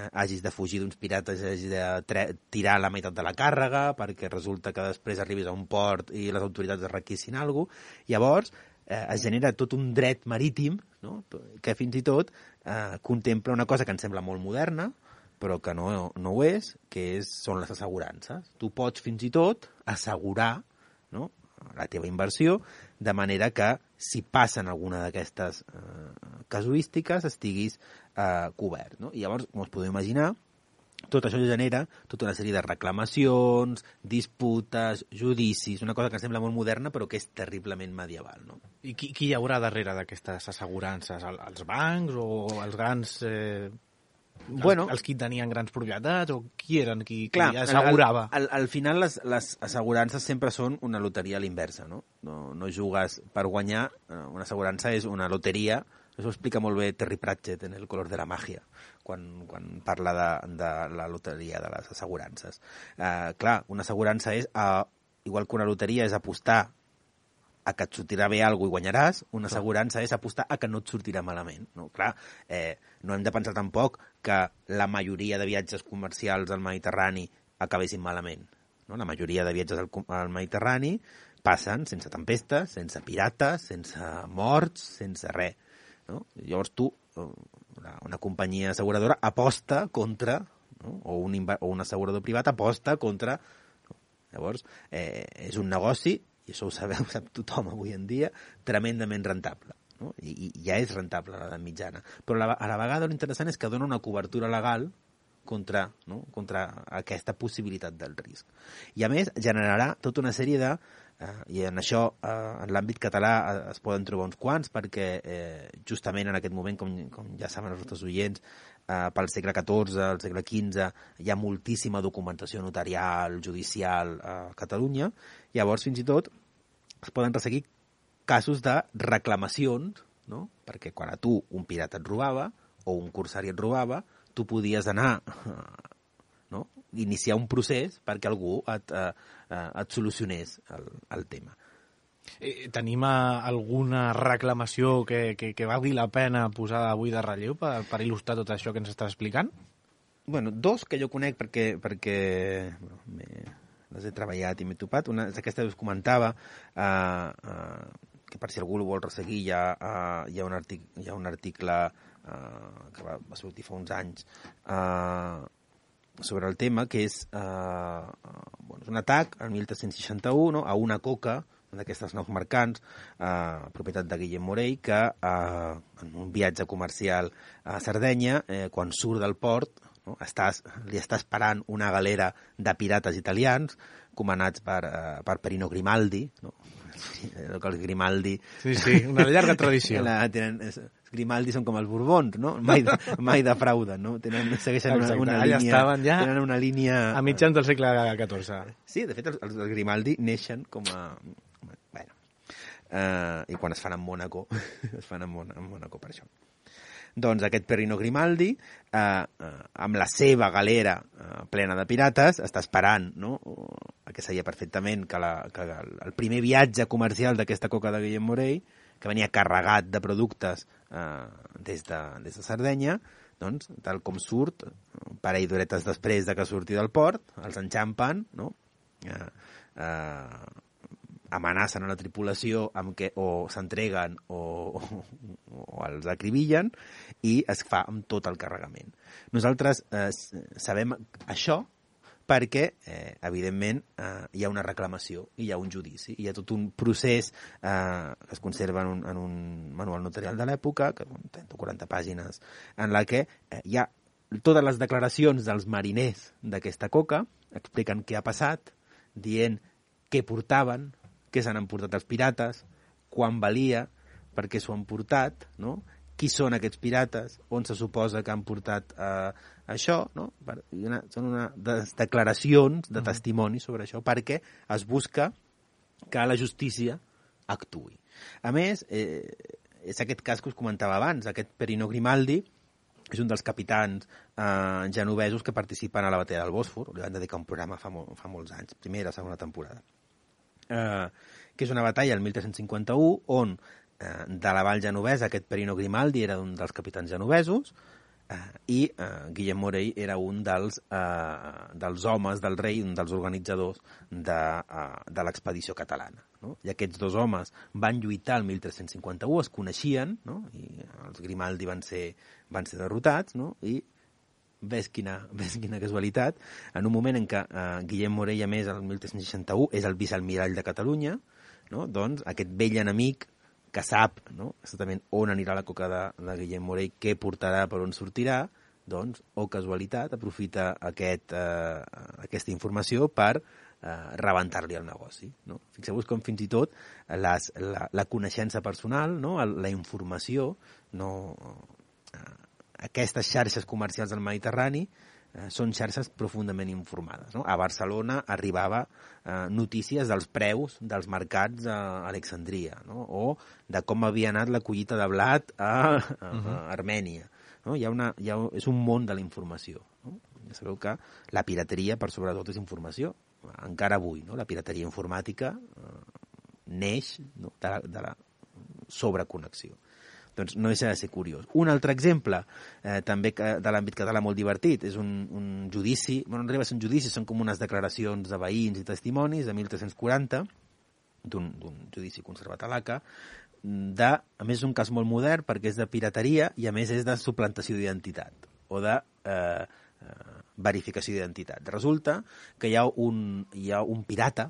hagis de fugir d'uns pirates, hagis de tirar la meitat de la càrrega, perquè resulta que després arribis a un port i les autoritats es requissin alguna cosa. Llavors, eh, es genera tot un dret marítim, no? Que fins i tot eh, contempla una cosa que ens sembla molt moderna, però que no, no ho és, que és, són les assegurances. Tu pots fins i tot assegurar, no? La teva inversió, de manera que si passen alguna d'aquestes eh, casuístiques estiguis eh, cobert, no? I llavors, com us podeu imaginar, tot això genera tota una sèrie de reclamacions, disputes, judicis, una cosa que sembla molt moderna però que és terriblement medieval, no? I qui, qui hi haurà darrere d'aquestes assegurances? El, els bancs o els grans... Eh... Bueno, els, els qui tenien grans propietats o qui eren qui, clar, qui assegurava? Al, al, al final les, les assegurances sempre són una loteria a l'inversa, no? No, no jugues per guanyar, una assegurança és una loteria, això ho explica molt bé Terry Pratchett en El color de la magia, quan, quan parla de, de la loteria de les assegurances. Uh, clar, una assegurança és, uh, igual que una loteria és apostar a que et sortirà bé alguna cosa i guanyaràs, una assegurança és apostar a que no et sortirà malament. No? Clar, eh, no hem de pensar tampoc que la majoria de viatges comercials al Mediterrani acabessin malament. no? La majoria de viatges al, al Mediterrani passen sense tempestes, sense pirates, sense morts, sense res. No? Llavors tu, una, una companyia asseguradora, aposta contra, no? o, un, o un assegurador privat aposta contra... No? Llavors, eh, és un negoci, i això ho sabeu, sap tothom avui en dia, tremendament rentable. No? I, I ja és rentable a l'edat mitjana. Però a la, a la vegada l'interessant és que dona una cobertura legal contra, no? contra aquesta possibilitat del risc. I a més generarà tota una sèrie de... Eh, i en això, eh, en l'àmbit català eh, es poden trobar uns quants, perquè eh, justament en aquest moment, com, com ja saben els nostres oients, eh, pel segle catorze, al segle quinze, hi ha moltíssima documentació notarial, judicial a Catalunya. Llavors, fins i tot, es poden resseguir casos de reclamacions, no? Perquè quan a tu un pirata et robava o un corsari et robava, tu podies anar, no? iniciar un procés perquè algú et, eh, et solucionés el, el tema. Eh, tenim alguna reclamació que, que, que valgui la pena posar avui de relleu per, per il·lustrar tot això que ens estàs explicant? Bueno, dos que jo conec perquè, perquè bueno, les he treballat i m'he topat. Una és aquesta que us comentava, eh, eh, que per si algú ho vol resseguir, hi ha, uh, hi ha un article, hi ha un article uh, que va, va sortir fa uns anys uh, sobre el tema, que és, uh, uh, bueno, és un atac en mil tres-cents seixanta-u, no? A una coca, d'aquestes naus mercants, uh, propietat de Guillem Morell, que uh, en un viatge comercial a Sardenya, eh, quan surt del port, no? Estàs, li està esperant una galera de pirates italians, comandats per, uh, per Perino Grimaldi, no? El que els Grimaldi... Sí, sí, una llarga tradició. La, tenen, els Grimaldi són com els Borbons, no? Mai, mai defrauden, no? Tenen, segueixen una, una allà línia... estaven ja tenen una línia... a mitjans del segle catorze. Sí, de fet, els, els Grimaldi neixen com a... Bueno, uh, i quan es fan en Mònaco, es fan en, Mon en Mònaco per això. Doncs aquest Perino Grimaldi, eh, eh, amb la seva galera eh, plena de pirates, està esperant, no? Que sabia perfectament que, la, que el primer viatge comercial d'aquesta coca de Guillem Morell, que venia carregat de productes eh, des, de, des de Sardenya, doncs, tal com surt, un parell d'horetes després de que surti del port, els enxampen, no? Eh, eh, amenacen a la tripulació amb que o s'entreguen o, o, o els acribillen i es fa amb tot el carregament. Nosaltres eh, sabem això perquè, eh, evidentment, eh, hi ha una reclamació i hi ha un judici. Hi ha tot un procés eh, que es conserva en un, en un manual notarial de l'època, que són trenta o quaranta pàgines, en la que eh, hi ha totes les declaracions dels mariners d'aquesta coca, expliquen què ha passat, dient què portaven, què s'han emportat els pirates, quan valia, per què s'ho han portat, no? Qui són aquests pirates, on se suposa que han portat eh, això, no? Per, una, són una de declaracions de testimoni sobre això, perquè es busca que la justícia actuï. A més, eh, és aquest cas que us comentava abans, aquest Perino Grimaldi, és un dels capitans eh, genovesos que participen a la batalla del Bòsfor, li van dedicar un programa fa, mo fa molts anys, primera i segona temporada. Eh, que és una batalla el mil tres-cents cinquanta-u on eh, de la vall genovesa aquest Perino Grimaldi era un dels capitans genovesos eh, i eh, Guillem Morell era un dels, eh, dels homes del rei, un dels organitzadors de, eh, de l'expedició catalana, no? I aquests dos homes van lluitar el mil tres-cents cinquanta-u, es coneixien, no? I els Grimaldi van ser, van ser derrotats, no? I ves quina, ves quina casualitat, en un moment en què eh, Guillem Morell, a més, el mil tres-cents seixanta-u, és el vicealmirall de Catalunya, no? Doncs aquest vell enemic que sap, no? Exactament on anirà la coca de, de Guillem Morell, què portarà, per on sortirà, doncs, o casualitat, aprofita aquest, eh, aquesta informació per eh, rebentar-li el negoci, no? Fixeu-vos com fins i tot les, la, la coneixença personal, no? La informació, no... Eh, aquestes xarxes comercials del Mediterrani eh, són xarxes profundament informades, no? A Barcelona arribava eh, notícies dels preus dels mercats a Alexandria, no? O de com havia anat la collita de blat a, a, a Armènia, no? Hi ha una, hi ha, és un món de la informació, no? Ja sabeu que la pirateria, per sobretot, és informació. Encara avui, no? La pirateria informàtica eh, neix, no? de, la, de la sobreconnexió. doncs no deixa de ser curiós. Un altre exemple, eh, també que, de l'àmbit català molt divertit, és un, un judici, bueno, no arriba a ser un judici, són com unes declaracions de veïns i testimonis de mil tres-cents quaranta, d'un judici conservat a l'A C A, de, a més és un cas molt modern perquè és de pirateria i a més és de suplantació d'identitat o de eh, eh, verificació d'identitat. Resulta que hi ha un, hi ha un pirata,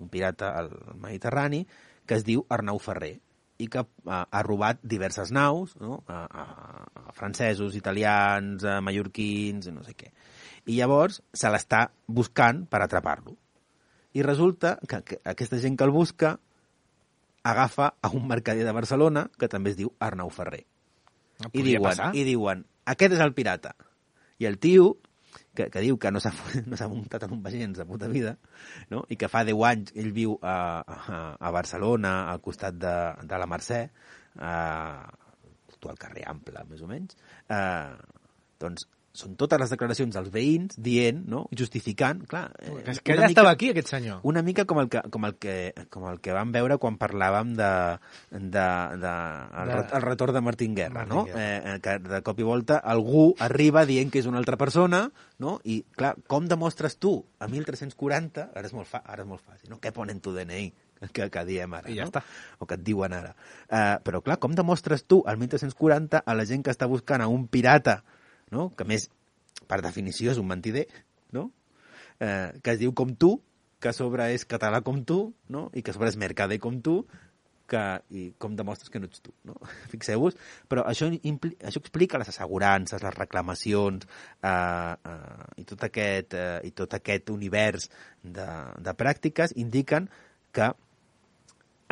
un pirata al Mediterrani, que es diu Arnau Ferrer, i que ha, ha robat diverses naus, no? a, a, a francesos, italians, a mallorquins, no sé què. I llavors se l'està buscant per atrapar-lo. I resulta que, que aquesta gent que el busca agafa a un mercader de Barcelona que també es diu Arnau Ferrer. No I diuen, I diuen, aquest és el pirata. I el tio, que, que diu que no s'ha no s'ha muntat en un vaixell en sa puta vida, no? I que fa deu anys ell viu a, a, a Barcelona, al costat de, de la Mercè, a, al carrer Ample, més o menys, eh, doncs són totes les declaracions dels veïns dient, no? Justificant, clar... Eh, és que ella mica, estava aquí, aquest senyor. Una mica com el que, com el que, com el que vam veure quan parlàvem de, de, de, el, de el retorn de Martín Guerra, Martín no? Guerra. Eh, que de cop i volta algú arriba dient que és una altra persona, no? I, clar, com demostres tu a mil tres-cents quaranta, ara és molt, fa, ara és molt fàcil, no? Què ponen tu D N I? Que, que diem ara, I ja no? està. O que et diuen ara. Uh, però, clar, com demostres tu al mil tres-cents quaranta a la gent que està buscant a un pirata, no? Que més, per definició, és un mentider, no? Eh, que es diu com tu, que a sobre és català com tu, no? I que a sobre és mercader com tu, que, i com demostres que no ets tu, no? Fixeu-vos, però això, impli, això explica les assegurances, les reclamacions eh, eh, i, tot aquest, eh, i tot aquest univers de, de pràctiques indiquen que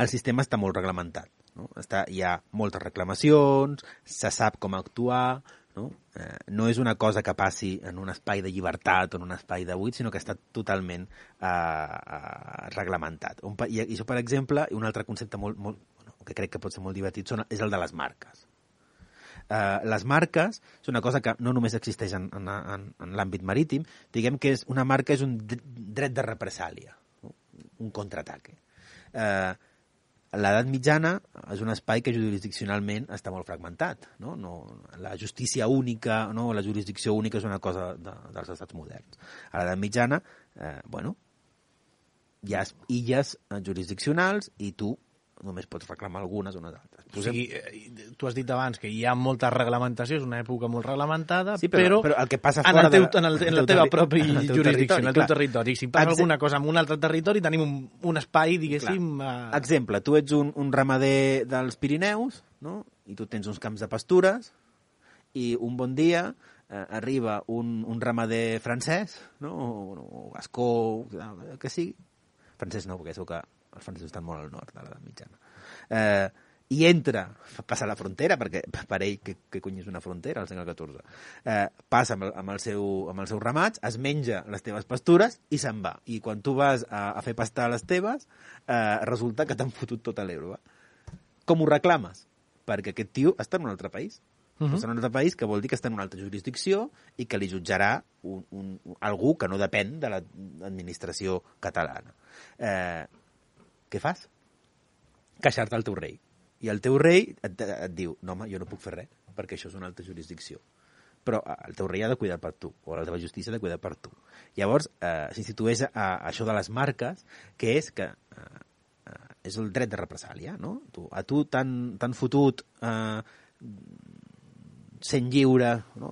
el sistema està molt reglamentat, no? Està, hi ha moltes reclamacions, se sap com actuar, no? Eh, no és una cosa que passi en un espai de llibertat o en un espai de buit, sinó que està totalment eh, eh, reglamentat. Un, i, I això, per exemple, un altre concepte molt, molt, bueno, que crec que pot ser molt divertit són, és el de les marques. Eh, les marques és una cosa que no només existeix en, en, en, en l'àmbit marítim, diguem que és, una marca és un dret de represàlia, no? Un contraataque. Eh, L'edat mitjana és un espai que jurisdiccionalment està molt fragmentat, no? No, la justícia única, no? La jurisdicció única és una cosa de, dels estats moderns. A l'edat mitjana, eh, bueno, hi ha illes jurisdiccionals i tu només pots reclamar algunes o unes altres. O sigui, tu has dit abans que hi ha molta reglamentació, és una època molt reglamentada, sí, però, però, però el que passa en, fora el teu, de, en, el, en la teva pròpia jurisdicció, en el teu territori. Si passa Exe... alguna cosa en un altre territori, tenim un, un espai, diguéssim... Uh... Exemple, tu ets un, un ramader dels Pirineus, no? I tu tens uns camps de pastures, i un bon dia eh, arriba un, un ramader francès, no? O, o gascó, que sigui. Francès no, perquè segur que els francesos estan molt al nord de l'edat mitjana. Eh, I entra, passa la frontera, perquè per ell, que, que cony és una frontera, al segle catorze, eh, passa amb el, amb, el seu, amb els seus ramats, es menja les teves pastures i se'n va. I quan tu vas a, a fer pastar les teves, eh, resulta que t'han fotut tota l'herba. Com ho reclames? Perquè aquest tio està en un altre país. Uh-huh. Està en un altre país, que vol dir que està en una altra jurisdicció i que li jutjarà un, un, algú que no depèn de l'administració catalana. Eh, què fas? Queixar-te al teu rei. I el teu rei et, et diu, no home, jo no puc fer res, perquè això és una altra jurisdicció. Però el teu rei ha de cuidar per tu, o la teva justícia ha de cuidar per tu. Llavors, eh, s'institueix a, a això de les marques, que és que eh, és el dret de represàlia, no? Tu, a tu t'han fotut eh, cent lliures, no?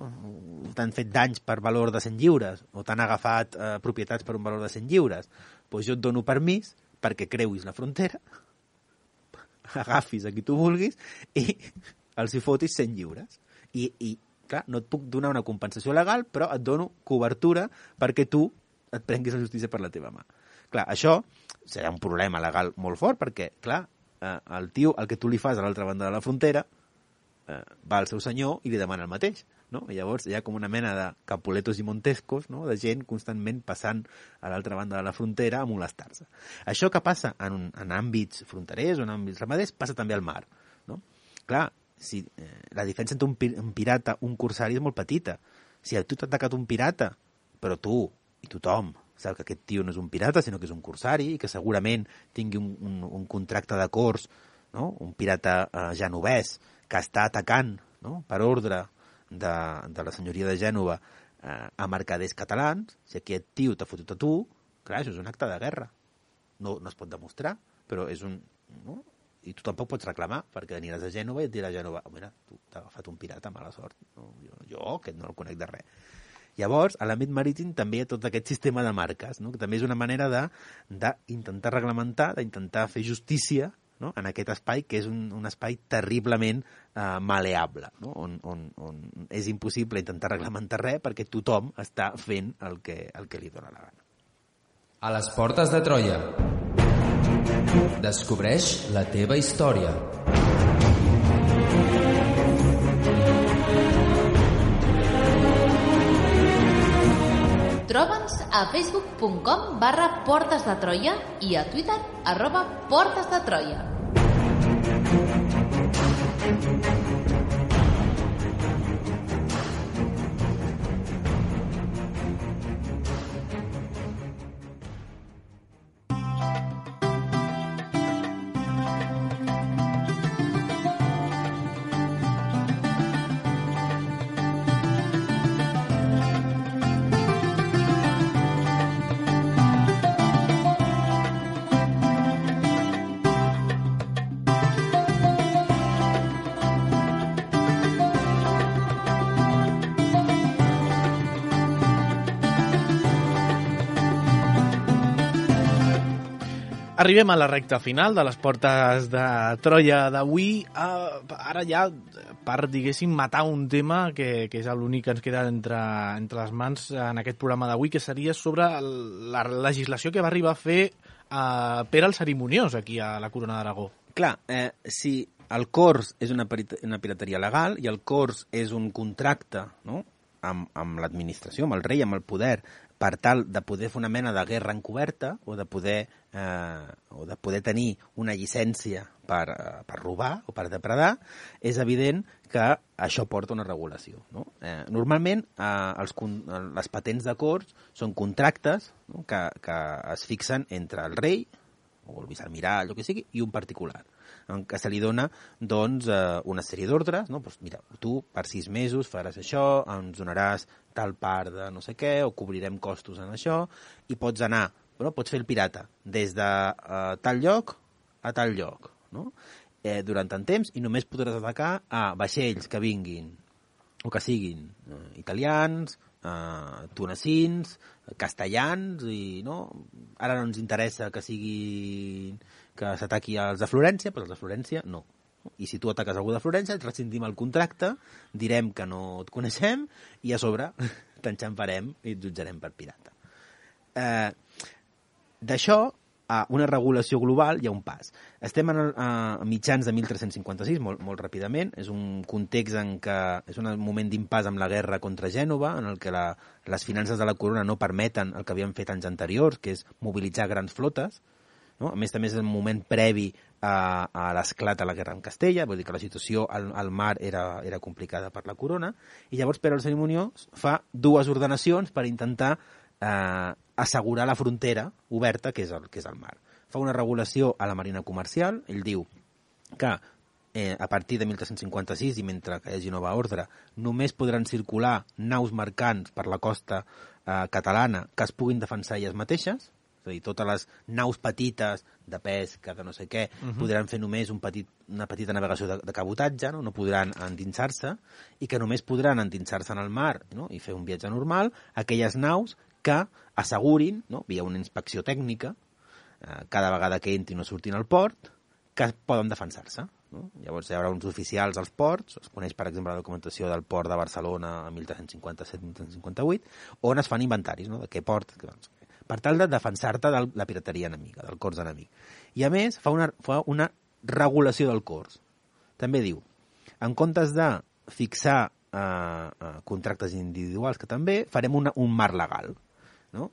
T'han fet danys per valor de cent lliures, o t'han agafat eh, propietats per un valor de cent lliures, doncs jo et dono permís perquè creuis la frontera, agafis a qui tu vulguis i els hi fotis cent lliures. I, i clar, no et puc donar una compensació legal, però et dono cobertura perquè tu et prenguis la justícia per la teva mà. Clar, això serà un problema legal molt fort perquè, clar, eh, el tio, el que tu li fas a l'altra banda de la frontera, eh, va al seu senyor i li demana el mateix, no? I llavors hi ha com una mena de capuletos i montescos, no? De gent constantment passant a l'altra banda de la frontera a molestar-se. Això que passa en, un, en àmbits fronterers o en àmbits ramaders passa també al mar, no? Clar, si, eh, la diferència entre un, un pirata i un corsari és molt petita. Si a tu t'ha atacat un pirata, però tu i tothom sap que aquest tio no és un pirata, sinó que és un corsari i que segurament tingui un, un, un contracte de cors no? Un pirata eh, genovès que està atacant, no? Per ordre de, de la senyoria de Gènova eh, a mercaders catalans, si aquest tio t'ha fotut a tu, clar, això és un acte de guerra. No, no es pot demostrar, però és un... No? I tu tampoc pots reclamar, perquè aniràs a Gènova i et dirà a Gènova, oh, mira, tu t'ha agafat un pirata, mala sort. No, jo, jo, aquest no el conec de res. Llavors, a l'àmbit marítim també hi ha tot aquest sistema de marques, no? Que també és una manera d'intentar reglamentar, d'intentar fer justícia, no? En aquest espai, que és un, un espai terriblement eh, maleable, no? on, on, on és impossible intentar reglamentar res perquè tothom està fent el que, el que li dóna la gana. A les portes de Troia. Descobreix la teva història. Troba'ns a facebook punt com barra Portes de Troia i a Twitter arroba Portes de Troia. Arribem a la recta final de les portes de Troia d'avui. Uh, ara ja, per, diguéssim, matar un tema que, que és l'únic que ens queda entre, entre les mans en aquest programa d'avui, que seria sobre el, la legislació que va arribar a fer uh, Pere el Cerimoniós aquí a la Corona d'Aragó. Clar, eh, si el cors és una, una pirateria legal i el cors és un contracte, no?, amb, amb l'administració, amb el rei, amb el poder, per tal de poder fer una mena de guerra encoberta o de poder, eh, o de poder tenir una llicència per, eh, per robar o per depredar, és evident que això porta una regulació. No? Eh, normalment, eh, els, les patents de cors són contractes, no?, que, que es fixen entre el rei, o el vicealmirall, el que sigui, i un particular, en què se li dona doncs, eh, una sèrie d'ordres, no? Pues mira, tu per sis mesos faràs això, ens donaràs tal part de no sé què, o cobrirem costos en això, i pots anar, bueno, pots fer el pirata des de eh, tal lloc a tal lloc, no? eh, durant tant temps, i només podràs atacar a vaixells que vinguin, o que siguin eh, italians, eh, tunecins, castellans, i no, ara no ens interessa que siguin que s'ataqui als de Florència, però els de Florència no. I si tu ataques algú de Florència, et rescindim el contracte, direm que no et coneixem i a sobre t'enxamparem i et jutjarem per pirata. Eh, D'això a una regulació global hi ha un pas. Estem en, a mitjans de mil tres-cents cinquanta-sis, molt, molt ràpidament. És un context en què és un moment d'impàs amb la guerra contra Gènova, en el que la, les finances de la corona no permeten el que havien fet anys anteriors, que és mobilitzar grans flotes. No? A més, també és el moment previ a, a l'esclat de la guerra amb Castella, vull dir que la situació al, al mar era, era complicada per la corona, i llavors Pere el Cerimoniós fa dues ordenacions per intentar eh, assegurar la frontera oberta que és, el, que és el mar. Fa una regulació a la marina comercial, ell diu que eh, a partir de mil tres-cents cinquanta-sis i mentre que hi hagi nova ordre, només podran circular naus mercants per la costa eh, catalana que es puguin defensar elles mateixes, és a dir, totes les naus petites de pesca, de no sé què, uh-huh. podran fer només un petit, una petita navegació de, de cabotatge, no? no podran endinsar-se, i que només podran endinsar-se en el mar, no? i fer un viatge normal aquelles naus que assegurin, no? via una inspecció tècnica, eh, cada vegada que entrin o surtin al port, que poden defensar-se. No? Llavors hi haurà uns oficials als ports, es coneix per exemple la documentació del port de Barcelona a mil tres-cents cinquanta-set mil tres-cents cinquanta-vuit, on es fan inventaris, no? de què port... Doncs, per tal de defensar-te de la pirateria enemiga, del cors enemic. I a més, fa una, fa una regulació del cors. També diu, en comptes de fixar eh, eh, contractes individuals, que també farem una, un marc legal. No?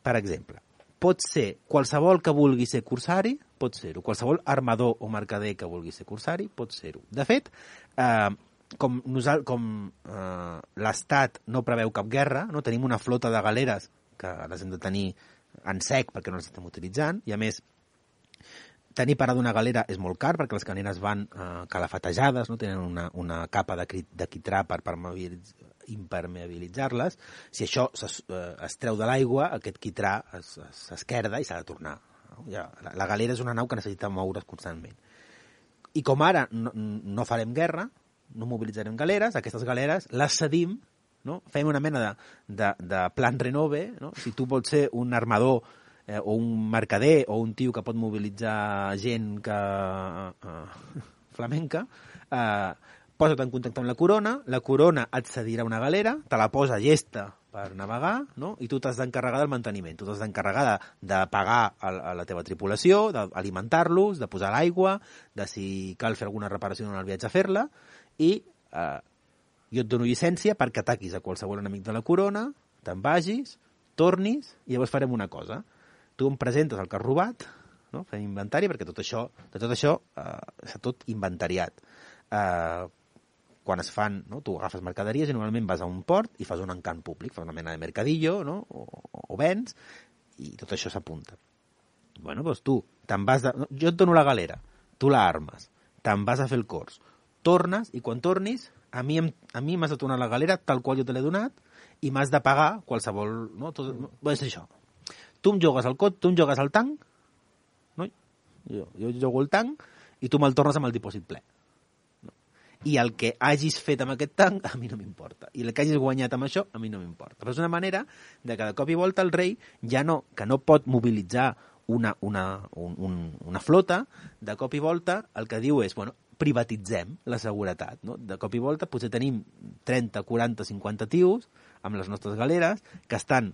Per exemple, pot ser qualsevol que vulgui ser corsari, pot ser-ho. Qualsevol armador o mercader que vulgui ser corsari, pot ser-ho. De fet, eh, com, nosal, com eh, l'Estat no preveu cap guerra, no tenim una flota de galeres que les hem de tenir en sec perquè no les estem utilitzant, i a més tenir parada una galera és molt car perquè les caneres van eh, calafatejades, no? Tenen una, una capa de, de quitrà per impermeabilitzar-les. Si això es, eh, es treu de l'aigua, aquest quitrà s'esquerda i s'ha de tornar. No? Ja, la, la galera és una nau que necessita moure's constantment. I com ara no, no farem guerra, no mobilitzarem galeres, aquestes galeres les cedim, no? Fem una mena de, de, de plan renove, no? Si tu vols ser un armador eh, o un mercader o un tio que pot mobilitzar gent que eh, flamenca, eh, posa't en contacte amb la corona, la corona et cedirà una galera, te la posa llesta per navegar, no? I tu t'has d'encarregar del manteniment, tu t'has d'encarregar de, de pagar a, a la teva tripulació, d'alimentar-los, de posar l'aigua, de si cal fer alguna reparació en el viatge a fer-la, i eh, jo et dono llicència perquè ataquis a qualsevol enemic de la corona, te'n vagis, tornis, i llavors farem una cosa. Tu em presentes el que has robat, no? Fem inventari, perquè tot això, de tot això eh, està tot inventariat. Eh, quan es fan, no? Tu agafes mercaderies i normalment vas a un port i fas un encant públic, fas una mena de mercadillo, no? o, o vens, i tot això s'apunta. Bueno, doncs tu te'n vas de... Jo et dono la galera, tu la armes, te'n vas a fer el cors, tornes, i quan tornis, a mi, a mi m'has de tornar la galera tal qual jo te l'he donat i m'has de pagar qualsevol... No? Tot, no? És això. Tu em jogues al cot, tu em jogues al tanc, no? jo, jo jogo el tanc i tu me'l tornes amb el dipòsit ple. I el que hagis fet amb aquest tanc a mi no m'importa, i el que hagis guanyat amb això a mi no m'importa. Però és una manera de que de cop i volta el rei ja no, que no pot mobilitzar una, una, un, un, una flota, de cop i volta el que diu és, bueno, privatitzem la seguretat, no? De cop i volta potser tenim trenta, quaranta, cinquanta tios amb les nostres galeres que estan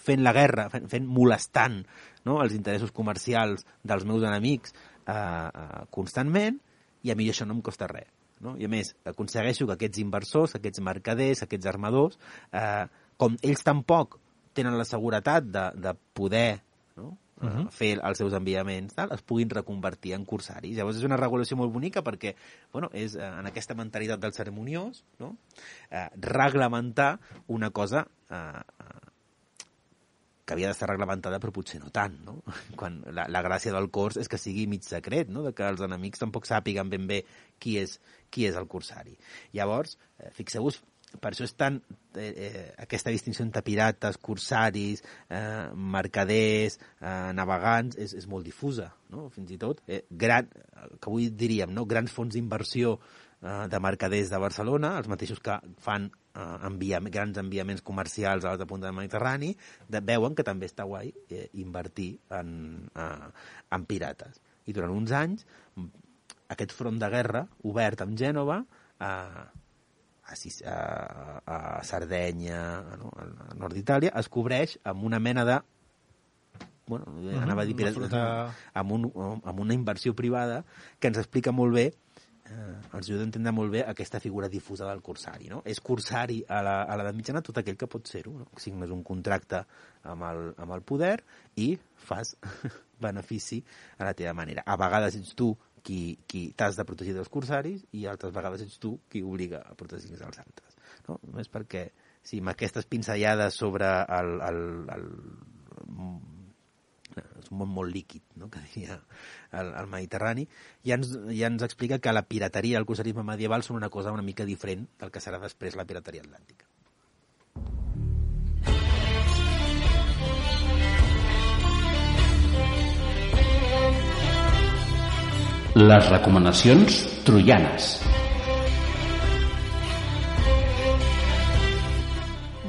fent la guerra, fent, fent molestant, no? Els interessos comercials dels meus enemics eh, eh, constantment, i a mi això no em costa res. No? I a més, aconsegueixo que aquests inversors, aquests mercaders, aquests armadors, eh, com ells tampoc tenen la seguretat de, de poder, no? uh-huh. fer els seus enviaments, tal, es puguin reconvertir en corsaris. Llavors és una regulació molt bonica perquè bueno, és eh, en aquesta mentalitat del ceremoniós, no? eh, reglamentar una cosa eh, que havia d'estar reglamentada però potser no tant, no? Quan la, la gràcia del cors és que sigui mig secret, no? De que els enemics tampoc sàpiguen ben bé qui és, qui és el corsari. Llavors, eh, fixeu-vos, per això és tan eh, eh, aquesta distinció entre pirates, corsaris, eh, mercaders, eh, navegants, és, és molt difusa, no? Fins i tot, eh, gran, que avui diríem, no? Grans fons d'inversió eh, de mercaders de Barcelona, els mateixos que fan eh, envia, grans enviaments comercials a l'altra punta del Mediterrani, de, veuen que també està guai eh, invertir en, eh, en pirates. I durant uns anys, aquest front de guerra obert amb Gènova, eh, A, a, a Sardenya, no? Al nord d'Itàlia, es cobreix amb una mena de... Bueno, uh-huh, anava a dir... Una fruta... amb, un, amb una inversió privada que ens explica molt bé, eh, ens ajuda a entendre molt bé aquesta figura difusa del corsari. No? És corsari a la, a l'edat mitjana tot aquell que pot ser-ho. No? Signes un contracte amb el, amb el poder i fas benefici a la teva manera. A vegades ets tu qui, qui t'has de protegir dels corsaris i altres vegades ets tu qui obliga a protegir els altres. No? Només perquè, si amb aquestes pinzellades sobre el, el, el, és un món molt líquid, no? Que diria el, el Mediterrani, ja ens, ja ens explica que la pirateria i el corsarisme medieval són una cosa una mica diferent del que serà després la pirateria atlàntica. Les recomanacions troianes.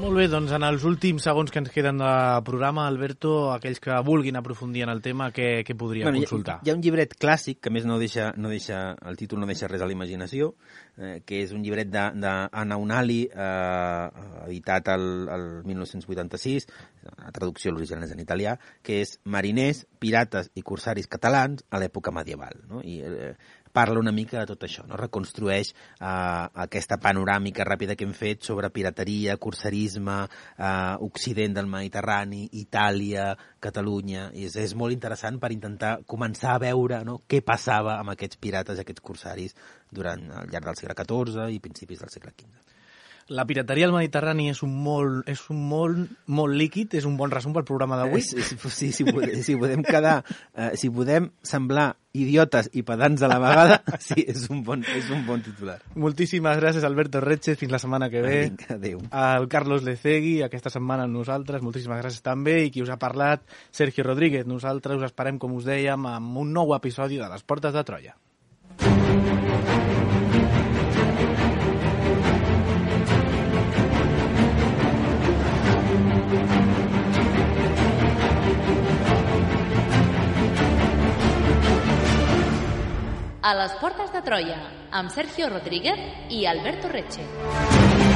Molt bé, doncs en els últims segons que ens queden de programa, Alberto, aquells que vulguin aprofundir en el tema, què, què podrien bueno, consultar? Hi ha, hi ha un llibret clàssic, que més no deixa, no deixa, el títol no deixa res a la imaginació, eh, que és un llibret d'Anna Unali, eh, editat el, el mil nou-cents vuitanta-sis, la traducció l'original és en italià, que és Mariners, pirates i corsaris catalans a l'època medieval. No? I eh, parla una mica de tot això, no? Reconstrueix eh, aquesta panoràmica ràpida que hem fet sobre pirateria, corsarisme, eh, occident del Mediterrani, Itàlia, Catalunya, i és, és molt interessant per intentar començar a veure, no? Què passava amb aquests pirates i aquests corsaris durant el llarg del segle catorze i principis del segle quinze. La pirateria al Mediterrani és un molt, és un molt, molt líquid, és un bon resum pel programa d'avui. Sí, sí, si, podem, si podem quedar, eh, si podem semblar idiotes i pedants a la vegada, sí, és un bon, és un bon titular. Moltíssimes gràcies, Alberto Retxes, fins la setmana que ve. Adéu. Al Carlos Lecegui, aquesta setmana amb nosaltres, moltíssimes gràcies també, i qui us ha parlat, Sergio Rodríguez. Nosaltres us esperem, com us dèiem, amb un nou episodi de Les Portes de Troia. A les Portes de Troia, amb Sergio Rodríguez i Alberto Retxe.